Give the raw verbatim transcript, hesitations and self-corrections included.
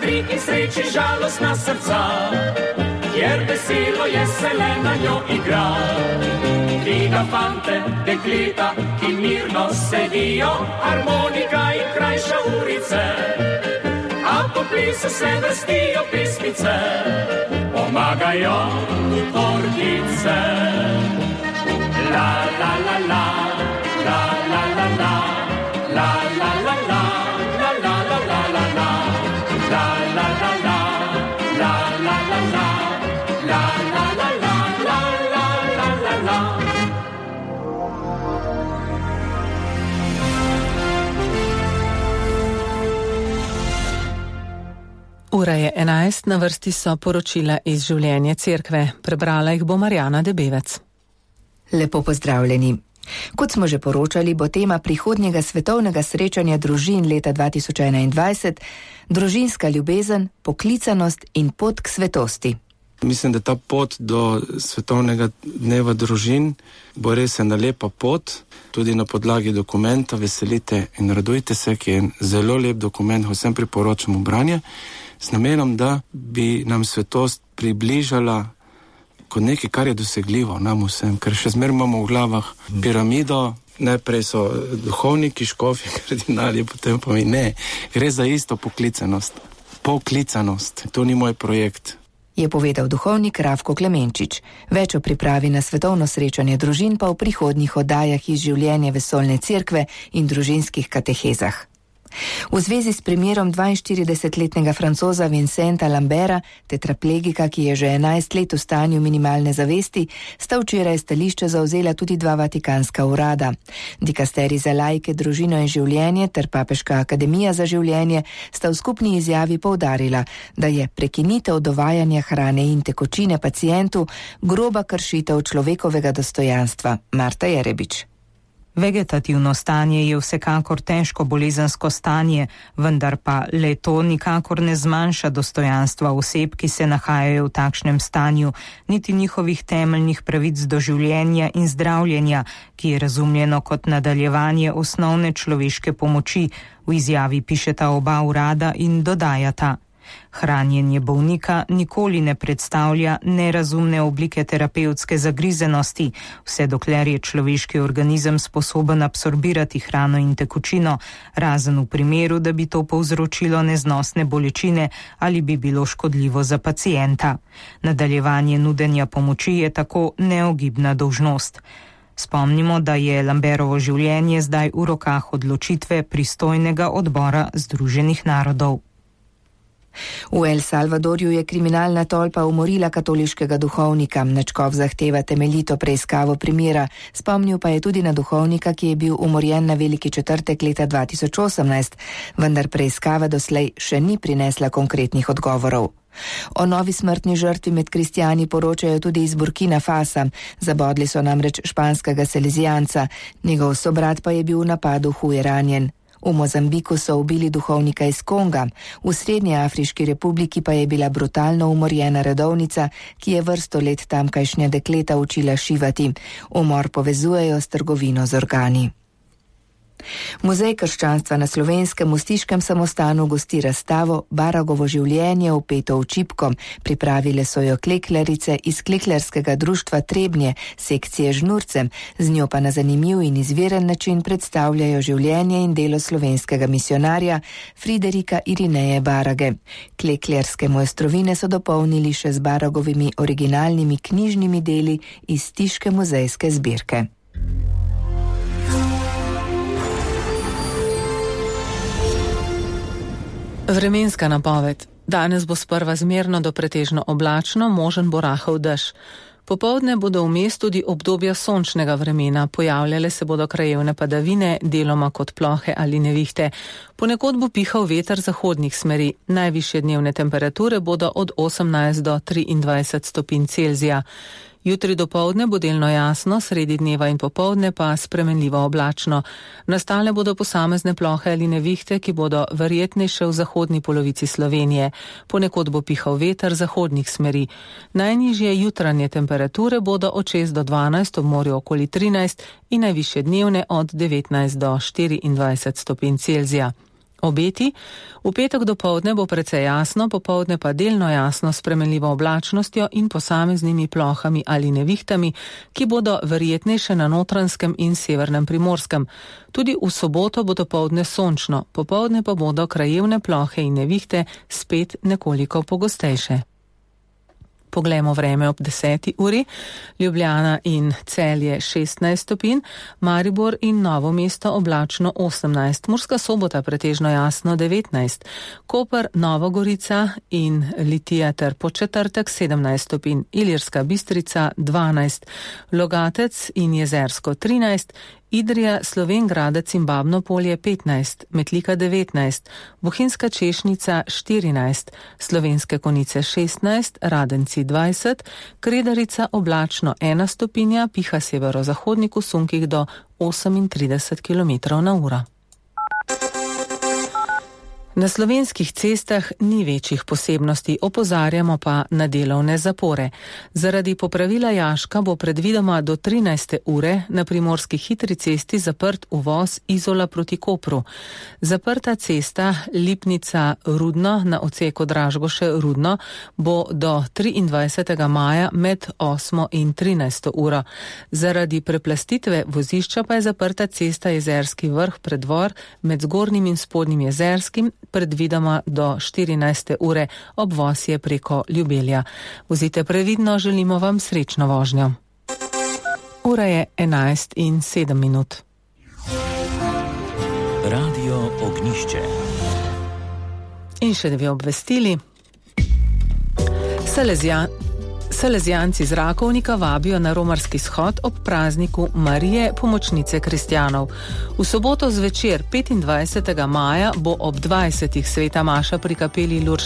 vetri in sreči žalostna srca, kjer veselo je se le na njo igra. Dviga fante, dekleta, ki mirno sedijo, harmonika in krajša urice, a po plisu se vrstijo pesmice, pomagajo v tortice. La la la la, la la la la, la la la la, la la la la la la, la la la la, la la la la, la la la la, la la la la la. Ura je enajst, na vrsti so poročila iz življenja cerkve. Prebrala jih bo Marjana Debevec. Lepo pozdravljeni. Kot smo že poročali, bo tema prihodnjega svetovnega srečanja družin leta dva tisoč enaindvajset družinska ljubezen, poklicanost in pot k svetosti. Mislim, da ta pot do svetovnega dneva družin bo res ena lepa pot, tudi na podlagi dokumenta Veselite in radujte se, ki je zelo lep dokument, vsem priporočamo branje, s namenom, da bi nam svetost približala kot nekaj, kar je dosegljivo nam vsem, ker še zmeraj imamo v glavah piramido, najprej so duhovniki, škofi, kardinali, potem pa mi ne. Gre za isto poklicanost. Poklicanost. To ni moj projekt. Je povedal duhovnik Rafko Klemenčič. Več o pripravi na svetovno srečanje družin pa v prihodnjih oddajah iz življenja vesoljne cerkve in družinskih katehezah. V zvezi s primerom dvainštiridesetletnega Francoza Vincenta Lambera, tetraplegika, ki je že enajst let v stanju minimalne zavesti, sta včeraj stališče zauzela tudi dva vatikanska urada. Dikasterij za laike, družino in življenje ter Papeška akademija za življenje sta v skupni izjavi poudarila, da je prekinitev dovajanja hrane in tekočine pacientu groba kršitev človekovega dostojanstva. Marta Jerebič. Vegetativno stanje je vsekakor težko bolezensko stanje, vendar pa le to nikakor ne zmanjša dostojanstva oseb, ki se nahajajo v takšnem stanju, niti njihovih temeljnih pravic do življenja in zdravljenja, ki je razumljeno kot nadaljevanje osnovne človeške pomoči, v izjavi pišeta oba urada in dodajata. Hranjenje bolnika nikoli ne predstavlja nerazumne oblike terapevtske zagrizenosti, vse dokler je človeški organizem sposoben absorbirati hrano in tekočino, razen v primeru, da bi to povzročilo neznosne bolečine ali bi bilo škodljivo za pacienta. Nadaljevanje nudenja pomoči je tako neogibna dolžnost. Spomnimo, da je Lamberovo življenje zdaj v rokah odločitve pristojnega odbora Združenih narodov. V El Salvadorju je kriminalna tolpa umorila katoliškega duhovnika. Načkov zahteva temeljito preiskavo primera. Spomnil pa je tudi na duhovnika, ki je bil umorjen na Veliki četrtek leta dva tisoč osemnajst, vendar preiskava doslej še ni prinesla konkretnih odgovorov. O novi smrtni žrtvi med kristjani poročajo tudi iz Burkina Fasa. Zabodli so namreč španskega salezijanca. Njegov sobrat pa je bil v napadu huje ranjen. V Mozambiku so ubili duhovnika iz Konga, v Srednji Afriški republiki pa je bila brutalno umorjena redovnica, ki je vrsto let tamkajšnja dekleta učila šivati. Umor povezujejo s trgovino z organi. Muzej krščanstva na Slovenskem v Stiškem samostanu gosti razstavo Baragovo življenje vpeto v čipko. Pripravile so jo kleklerice iz Kleklerskega društva Trebnje, sekcije Žnurcem, z njo pa na zanimiv in izviren način predstavljajo življenje in delo slovenskega misionarja Friderika Irineje Barage. Kleklerske mojstrovine so dopolnili še z Baragovimi originalnimi knjižnimi deli iz Stiške muzejske zbirke. Vremenska napoved. Danes bo sprva zmerno do pretežno oblačno, možen bo rahel dež. Popoldne bodo vmes tudi obdobja sončnega vremena, pojavljale se bodo krajevne padavine, deloma kot plohe ali nevihte. Ponekod bo pihal veter zahodnih smeri. Najvišje dnevne temperature bodo od osemnajst do triindvajset stopinj Celzija. Jutri dopoldne bo delno jasno, sredi dneva in popoldne pa spremenljivo oblačno. Nastale bodo posamezne plohe ali nevihte, ki bodo verjetnejše v zahodni polovici Slovenije. Ponekod bo pihal veter zahodnih smeri. Najnižje jutranje temperature bodo od šest do dvanajst, ob morju okoli trinajst in najvišje dnevne od devetnajst do štiriindvajset stopinj Celzija. Obeti: v petek dopoldne bo precej jasno, popoldne pa delno jasno s spremenljivo oblačnostjo in posameznimi plohami ali nevihtami, ki bodo verjetnejše na Notranjskem in severnem Primorskem. Tudi v soboto bo dopoldne sončno, popoldne pa bodo krajevne plohe in nevihte spet nekoliko pogostejše. Poglejmo vreme ob deseti uri. Ljubljana in Celje šestnajst stopinj, Maribor in Novo mesto oblačno osemnajst, Murska Sobota pretežno jasno devetnajst, Koper, Nova Gorica in Litija ter Podčetrtek sedemnajst stopinj, Ilirska Bistrica dvanajst, Logatec in Jezersko trinajst, Idrija, Slovenj Gradec in Babno Polje petnajst, Metlika devetnajst, Bohinjska Češnica štirinajst, Slovenske Konjice šestnajst, Radenci dvajset, Kredarica oblačno ena stopinja, piha severozahodnik v sunkih do osemintrideset kilometrov na uro. Na slovenskih cestah ni večjih posebnosti, opozarjamo pa na delovne zapore. Zaradi popravila jaška bo predvidoma do trinajste ure na primorski hitri cesti zaprt uvoz Izola proti Kopru. Zaprta cesta Lipnica-Rudno na odseku Dražgoše-Rudno bo do triindvajsetega maja med osmo in trinajsto uro. Zaradi preplastitve vozišča pa je zaprta cesta Jezerski vrh-Predvor med Zgornjim in Spodnjim Jezerskim predvidoma do štirinajste ure, obvoz je preko Ljubelja. Vozite previdno, želimo vam srečno vožnjo. Ura je enajst in sedem minut. Radio Ognjišče. In še dve obvestili. Salezija Salezijanci z Rakovnika vabijo na romarski shod ob prazniku Marije, pomočnice kristjanov. V soboto zvečer petindvajsetega maja bo ob dvajsetih sveta maša pri kapeli Lurške